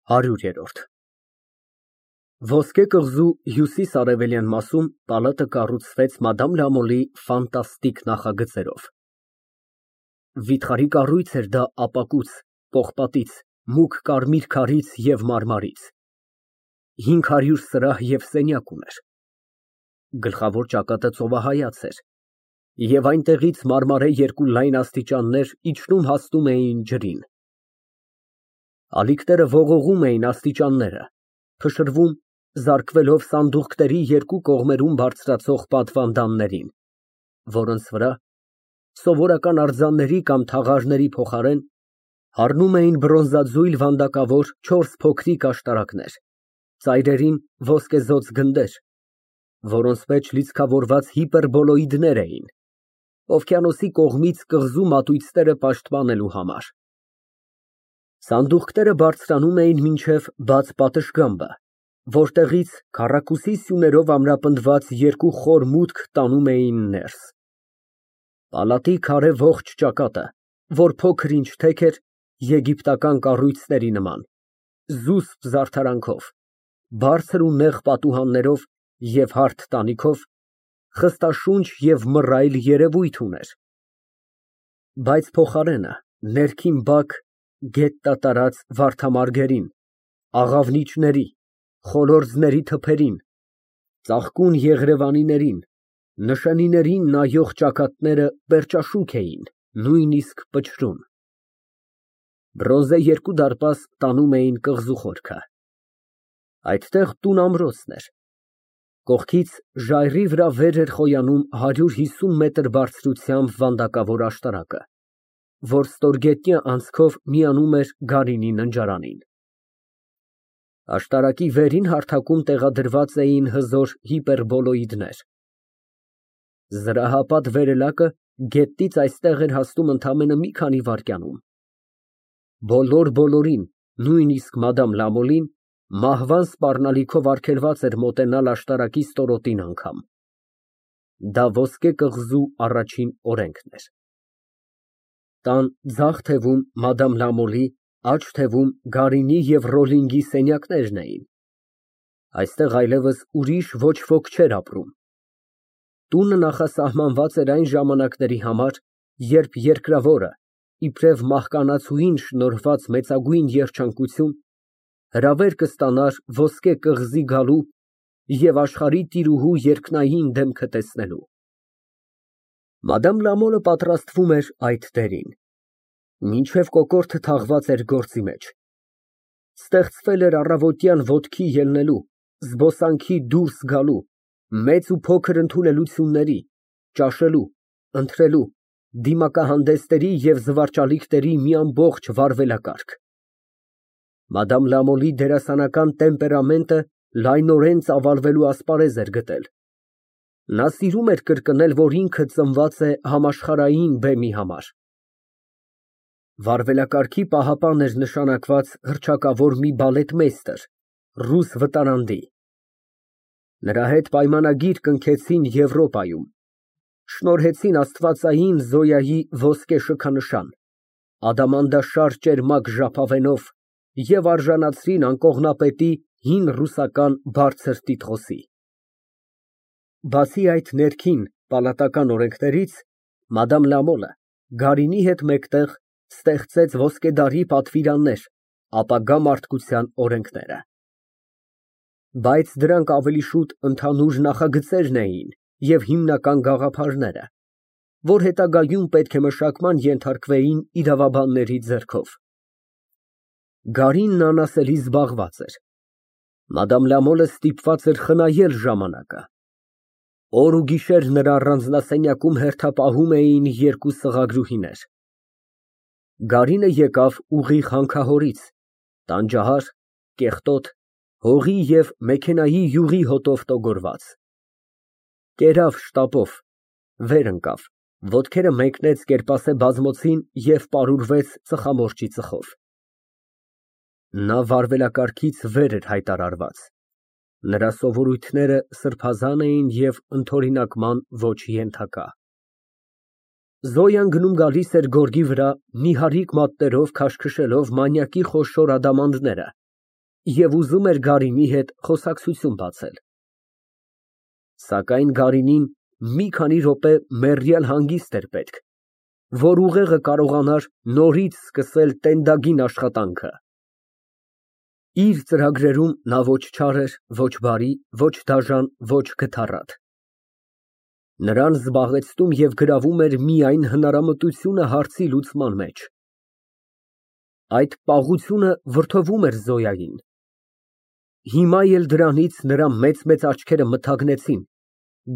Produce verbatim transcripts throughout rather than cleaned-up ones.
Հարյուրերորդ Ոսկե կղզու հյուսիս֊արևելյան մասում պալատը կառուցվեց մադամ Լամոլի ֆանտաստիկ նախագծերով. վիթխարի կառույց էր դա ապակուց, պողպատից, մուգ կարմիր քարից և մարմարից, հինգ հարյուր սրահ և սենյակ ուներ, գլխավոր ճակատը ծովահայաց էր, և այնտեղից մարմարե երկու լայն աստիճաններ իջնում հասնում էին ջրին. ալիքները ողողում էին աստիճանները, փշրվում, զարկվելով սանդուղքների երկու կողմերում բարձրացող պատվանդաններին, որոնց վրա, սովորական արձանների կամ թաղարների փոխարեն, հառնում էին բրոնզաձույլ վանդակավոր չորս փոքրիկ աշտարակներ, ծայրերին ոսկեզօծ գնդեր, որոնց մեջ լիցքավորված հիպերբոլոիդներ էին, օվկիանոսի կողմից կղզու մատույցները պաշտպանելու համար. Սանդուղքները բարձրանում էին մինչև բաց պատշգամբը, որտեղից քառակուսի սյուներով ամրապնդված երկու խոր մուտք տանում էին ներս. Պալատի քարե ողջ ճակատը, որ փոքր-ինչ թեք էր, եգիպտական կառույցների նման, զուսպ զարդարանքով, բարձր ու նեղ պատուհաններով և հարթ տանիքով, խստաշունչ և մռայլ երևույթ ուներ, բայց փոխարենը, ներքին բակ, գետնա տարած վարդամարգերին, աղավնիչների, խոլորձների թփերին, ծաղկուն եղրևանիներին, նշանիներին նայող ճակատները պերճաշուք էին, նույնիսկ պչրուն. բրոնզե երկու դարպաս տանում էին կղզու խորքը. այդտեղ տուն֊ամրոցն էր, կողքից ժայռի վրա վեր էր խոյանում հարյուր հիսուն մետր բարձրությամբ վանդակավոր աշտարակը, որ ստորգետնյա անցքով միանում էր գարինի ննջարանին. Աշտարակի վերին հարթակում տեղադրված էին հզոր հիպերբոլոիդներ. զրահապատ վերելակը գետնից այստեղ էր հասնում ընդամենը մի քանի վայրկյանում. բոլոր֊բոլորին, նույնիսկ մադամ Լամոլին, մահվան սպառնալիքով արգելված էր մոտենալ աշտարակի ստորոտին անգամ. դա ոսկե կղզու առաջին օրենքն էր. Տան ձախ թևում մադամ Լամոլի, աջ թևում Գարինի և Ռոլլինգի սենյակներն էին. այստեղ այլևս ուրիշ ոչ ոք չէր ապրում. տունը նախասահմանված էր այն ժամանակների համար, երբ երկրավորը, իբրև մահկանացուին շնորհված մեծագույն երջանկություն, հրավեր կստանար ոսկե կղզի գալու և աշխարհի տիրուհու երկնային դեմքը տեսնելու։ Մադամ Լամոլը պատրաստվում էր այդ դերին, մինչև կոկորդը թաղված էր գործի մեջ, ստեղծվել էր առավոտյան ոտքի ելնելու, զբոսանքի դուրս գալու, մեծ ու փոքր ընդունելությունների, ճաշելու, ընթրելու, դիմակահանդեսների և զվարճալիքների մի ամբողջ վարվելակարգ։ Մադամ Լամոլի դերասանական տեմպերամենտը լայնորեն ծավալվելու ասպարեզ էր գտել. նա սիրում էր կրկնել, որ ինքը ծնված է համաշխարհային բեմի համար։ Վարվելակարգի պահապան էր նշանակված հռչակավոր մի բալետմեյստր, ռուս վտարանդի. նրա հետ պայմանագիր կնքեցին Եվրոպայում, շնորհեցին աստվածային Զոյայի ոսկե շքանշան, ադամանդաշար ճերմակ ժապավենով և արժանացրին անկողնապետի հին ռուսական բարձր տիտղոսի։ Բացի այդ ներքին պալատական օրենքներից, մադամ Լամոլը Գարինի հետ մեկտեղ ստեղծեց ոսկեդարի պատվիրաններ, ապագա մարդկության օրենքները։ Բայց դրանք ավելի շուտ ընդհանուր նախագծերն էին և հիմնական գաղափարները, որ հետագայում պետք է մշակման ենթարկվեին իրավաբանների ձեռքով։ Գարինն անասելի զբաղված էր, մադամ Լամոլը ստիպված էր խնայել ժամանակը, օր ու գիշեր նրա առանձնասենյակում հերթապահում էին երկու սղագրուհիներ։ Գարինը եկավ ուղիղ հանքահորից, տանջահար, կեղտոտ, հողի և մեքենայի յուղի հոտով տոգորված։ Կերավ շտապով, վեր ընկավ, ոտքերը մեկնեց կերպասե բազմոցին և պարուրվեց ծխամորճի ծխով։ Նա վարվելակարգից վեր էր հայտարարված, նրա սովորույթները սրբազան էին և ընդօրինակման ոչ ենթակա։ Զոյան գնում֊գալիս էր գորգի վրա նիհարիկ մատներով քաշքշելով մանյակի խոշոր ադամանդները, Եվ ուզում էր Գարինի հետ խոսակցություն բացել։ Սակայն Գարինին մի քանի րոպե մեռյալ հանգիստ էր պետք, որ ուղեղը կարողանար նորից սկսել տենդագին աշխատանքը։ Իր ծրագրերում նա ոչ չար էր, ոչ բարի, ոչ դաժան, ոչ գթառատ։ Նրան զբաղեցնում և գրավում էր միայն հնարամտությունը հարցի լուծման մեջ։ Այդ պաղությունը վրդովում էր Զոյային։ Հիմա էլ դրանից նրա մեծ֊մեծ աչքերը մթագնեցին,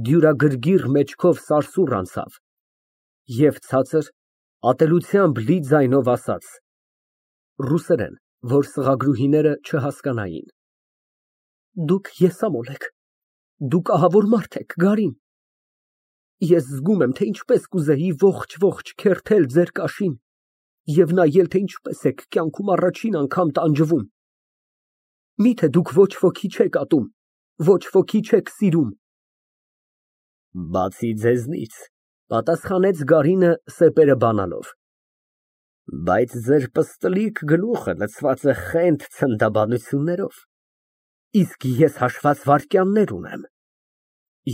դյուրագրգիռ մեջքով սարսուռ անցավ և ցածր, ատելությամբ լի ձայնով ասաց (ռուսերեն, որ սղագրուհիները չհասկանային)։ Դուք եսամոլ եք, դուք ահավոր մարդ եք, Գարին։ Ես զգում եմ, թե ինչպես կուզեի ողջ֊ողջ քերթել ձեր կաշին և նայել, թե ինչպես եք կյանքում առաջին անգամ տանջվում։ Միթե դուք ոչ ոքի չեք ատում, ոչ ոքի չեք սիրում։ Բացի ձեզնից, պատասխանեց Գարինը սեպերը բանալով։ Բայց ձեր պստլիկ գլուխը լցված է խենթ ցնդաբանություններով, իսկ ես հաշված վայրկյաններ ունեմ։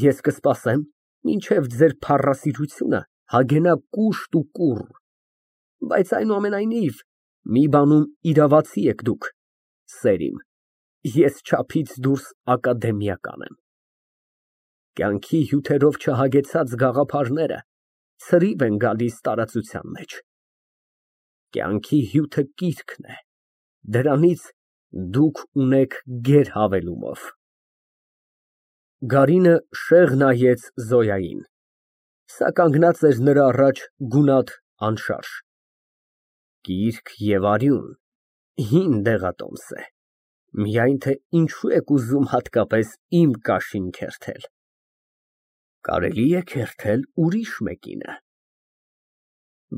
Ես կսպասեմ, մինչև ձեր փառասիրությունը հագենա կուշտ ու կուռ, բայց այնուամենայնիվ, մի բանում իրավացի եք դուք, սեր իմ, ես չափից դուրս ակադեմիական եմ։ Կյանքի հյութերով չհագեցած գաղափարները ցրիվ են գալիս տարածության մեջ։ Կյանքի հյութը կիրքն է, դրանից դուք ունեք գեր հավելումով։ Գարինը շեղ նայեց Զոյային, սա կանգնած էր նրա առաջ գունատ, անշարժ։ Կիրք և արյուն, հին դեղատոմս է, միայն թե ինչու եք ուզում հատկապես իմ կաշին քերթել։ Կարելի է քերթել ուրիշ մեկինը։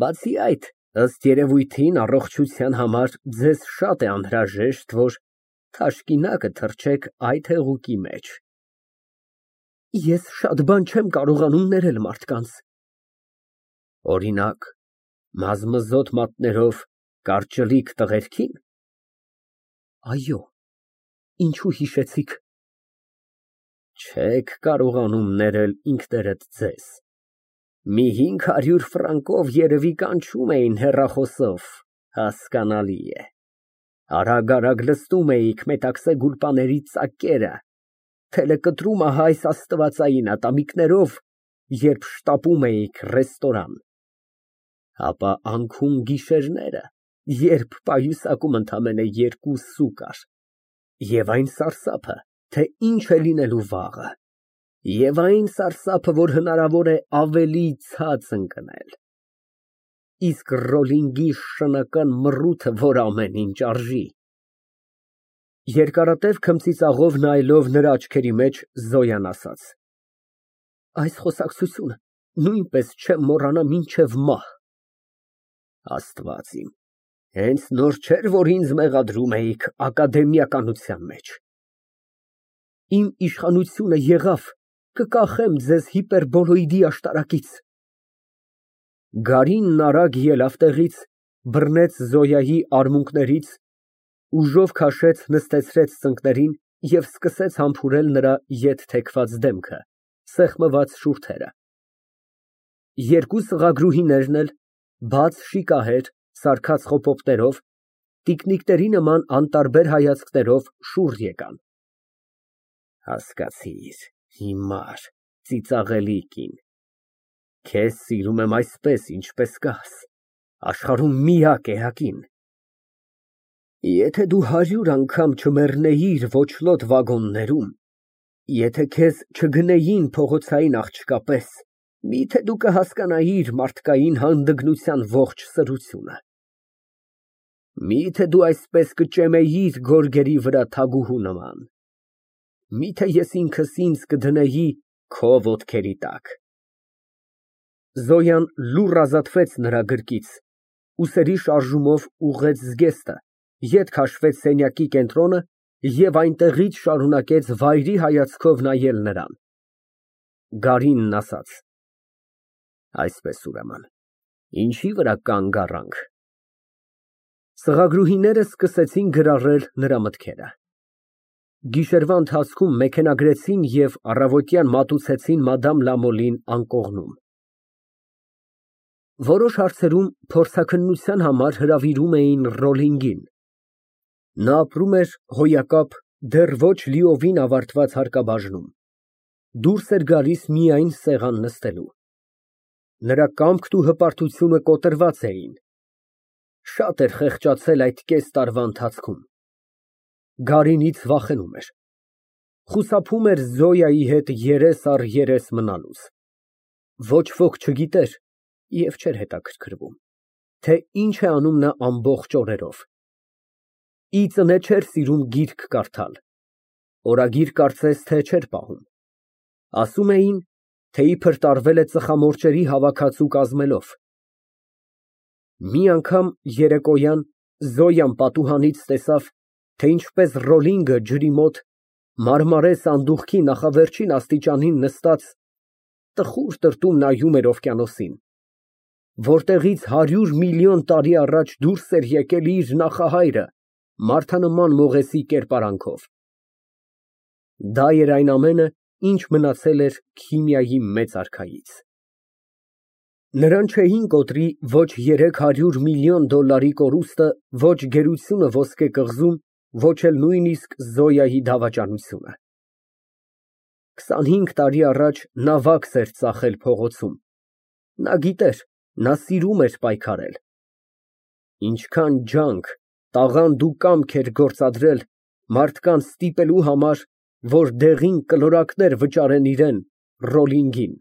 Բացի այդ, ըստ երևույթին, առողջության համար ձեզ շատ է անհրաժեշտ, որ թաշկինակը թռչեք այդ հեղուկի մեջ։ Ես շատ բան չեմ կարողանում ներել մարդկանց։ Օրինակ, մազմզոտ մատներով կարճլիկ տղերքի՞ն։ Այո, ինչու հիշեցիք։ Չեք կարողանում ներել ինքներդ ձեզ։ Մի հինգ հարյուր ֆրանկով երևի կանչում էին հեռախոսով, հասկանալի է։ Արագ֊արագ լցնում էիք մետաքսե գուլպաների ծակերը, թելեկտրումը հայս աստվածային ատամիկներով, երբ շտապում էիք ռեստորան։ Ապա անքուն գիշերները, երբ պայուսակում ընդամենը երկու սու կար, և այն սարսափը, թե ինչ է լինելու վաղը, և այն սարսափը, որ հնարավոր է ավելի ցած ընկնել, իսկ ռոլինգի շնական մռութը, որ ամեն ինչ արժի։ Երկարատև քմծիծաղով նայելով նրա աչքերի մեջ, Զոյան ասաց. Այս խոսակցությունը նույնպես չեմ մոռանա մինչև մահ։ Աստված իմ, հենց նոր չէր, որ ինձ մեղադրում էիք ակադեմիականության մեջ։ Իմ իշխանությունը եղավ, կկախեմ ձեզ հիպերբոլոիդի աշտարակից։ Գարինն արագ ելավ տեղից, բռնեց Զոյայի արմունկներից, ուժով քաշեց նստեցրեց ծնկներին և սկսեց համբուրել նրա ետ թեքված դեմքը, սեղմված շուրթերը։ Երկու սղագրուհիներն էլ, բաց շիկահեր, սարքած խոպոպտերով, տիկնիկների նման անտարբեր հայացքներով շուռ եկան։ Հասկացիր, հիմար, ծիծաղելի կին, քեզ սիրում եմ այսպես, ինչպես կաս, աշխարհում միակ էակին։ Եթե դու հարյուր անգամ չմեռնեիր ոչլոտ վագոններում, եթե քեզ չգնեին փողոցային աղջկա պես, միթե դու կհասկանայիր մարդկային հանդգնության ողջ սրությունը։ Միթե դու այսպես կճեմեիր գորգերի վրա թագուհու նման։ Միթե ես ինքս ինձ կդնեի քո ոտքերի տակ։ Զոյան լուռ ազատվեց նրա գրկից, ուսերի շարժումով ուղղեց զգեստը, ետ քաշվեց սենյակի կենտրոնը և այնտեղից շարունակեց վայրի հայացքով նայել նրան։ Գարինն ասաց. Այսպես, ուրեմն, ինչի վրա կանգ առանք։ Սղագրուհիները սկսեցին գրառել նրա մտքերը։ Գիշերվա ընթացքում մեքենագրեցին և առավոտյան մատուցեցին մադամ Լամոլին անկողնում։ Որոշ հարցերում փորձաքննության համար հրավիրում էին Ռոլլինգին։ Նա ապրում էր հոյակապ, դեռ ոչ լիովին ավարտված հարկաբաժնում, դուրս էր գալիս միայն սեղան նստելու։ Նրա կամքն ու հպարտությունը կոտրված էին, շատ էր խեղճացել այդ կես տարվա ընթացքում։ Գարինից վախենում էր, խուսափում էր Զոյայի հետ երես առ երես մնալուց։ Ոչ ոք չգիտեր և չէր հետաքրքրվում, թե ինչ է անում նա ամբողջ օրերով։ Ի ծնե չէր սիրում գիրք կարդալ, օրագիր կարծես թե չէր պահում։ Ասում էին, թե իբր տարվել է ծխամորճերի հավաքածու կազմելով։ Մի անգամ երեկոյան Զոյան պատուհանից տեսավ, թե ինչպես Ռոլլինգը ջրի մոտ, մարմարե սանդուղքի նախավերջին աստիճանին նստած, տխուր տրտում նայում էր օվկիանոսին, որտեղից հարյուր միլիոն տարի առաջ դուրս էր եկել իր նախահայրը մարդանման մողեսի կերպարանքով։ Դա էր այն ամենը, ինչ մնացել էր քիմիայի մեծ արքայից։ Նրան չէին կոտրի ոչ երեք հարյուր միլիոն դոլարի կորուստը, ոչ գերությունը ոսկե կղզում, ոչ էլ նույնիսկ Զոյայի դավաճանությունը։ Քսանհինգ տարի առաջ նա վաքս էր ծախել փողոցում։ Նա գիտեր, նա սիրում էր պայքարել։ Ինչքան ջանք, տաղանդ ու կամք էր գործադրել մարդկանց ստիպելու համար, որ դեղին կլորակներ վճարեն իրան՝ Ռոլլինգին։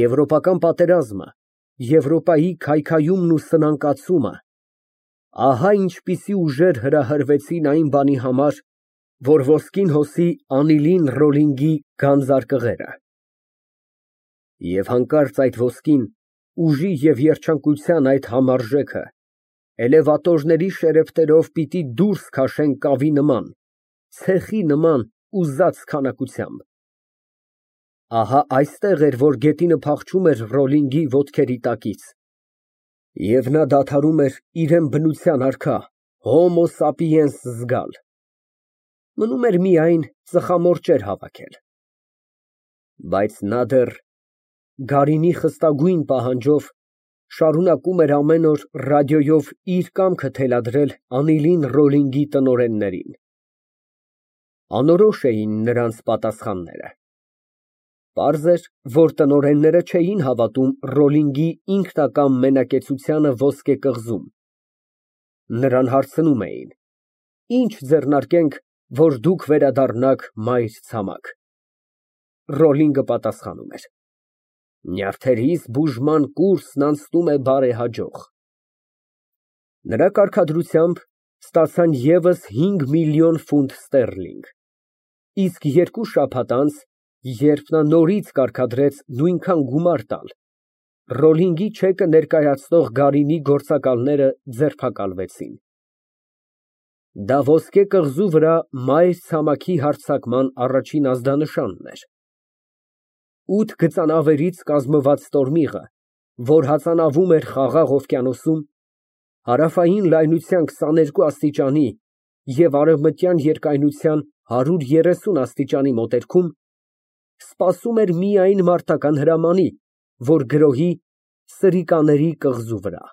Եվրոպական պատերազմը, Եվրոպայի քայքայումն ու սնանկացումը, ահա ինչպիսի ուժեր հրահրվեցին այն բանի համար, որ ոսկին հոսի Անիլին Ռոլլինգի գանձարկղերը։ Եվ հանկարծ այդ ոսկին, ուժի և երջանկության այդ համարժեքը էլևատորների շերեֆներով պիտի դուրս քաշեն կավի նման, ցեխի նման ուզած քանակությամբ։ Ահա այստեղ էր, որ գետինը փախչում էր Ռոլլինգի ոտքերի տակից, և նա դադարում էր իրան բնության արքա հոմո սապիենս զգալ։ Մնում էր միայն ծխամորճեր հավաքել։ Բայց նա դեռ, գարինի խստագույն պահանջով, շարունակում էր ամեն օր ռադիոյով իր կամքը թելադրել Անիլին Ռոլլինգի տնօրեններին։ Անորոշ էին նրանց պատասխանները։ Պարզ էր, որ տնօրենները չէին հավատում Ռոլլինգի ինքնակամ մենակեցությանը ոսկե կղզում։ Նրան հարցնում էին. «Ի՞նչ ձեռնարկենք, որ դուք վերադառնաք մայր ցամաք»։ Ռոլլինգը պատասխանում էր. «Նյարդերիս բուժման կուրսն անցնում է բարեհաջող»։ Նրա կարգադրությամբ ստացան ևս հինգ միլիոն ֆունտ ստերլինգ, իսկ երկու շաբաթ անց, երբ նա նորից կարգադրեց նույնքան գումար տալ, Ռոլլինգի չեկը ներկայացնող գարինի գործակալները ձերբակալվեցին։ Դա ոսկե կղզու վրա մայր ցամաքի հարձակման առաջին ազդանշանն էր։ Ութ գծանավերից կազմված տորմիղը, որ հածանավում էր Խաղաղ օվկիանոսում, հարավային լայնության քսաներկու աստիճանի և արևմտյան երկայնության հարյուր երեսուն աստիճանի մոտերքում, սպասում էր միայն մարտական հրամանի, որ գրոհի Սրիկաների կղզու վրա։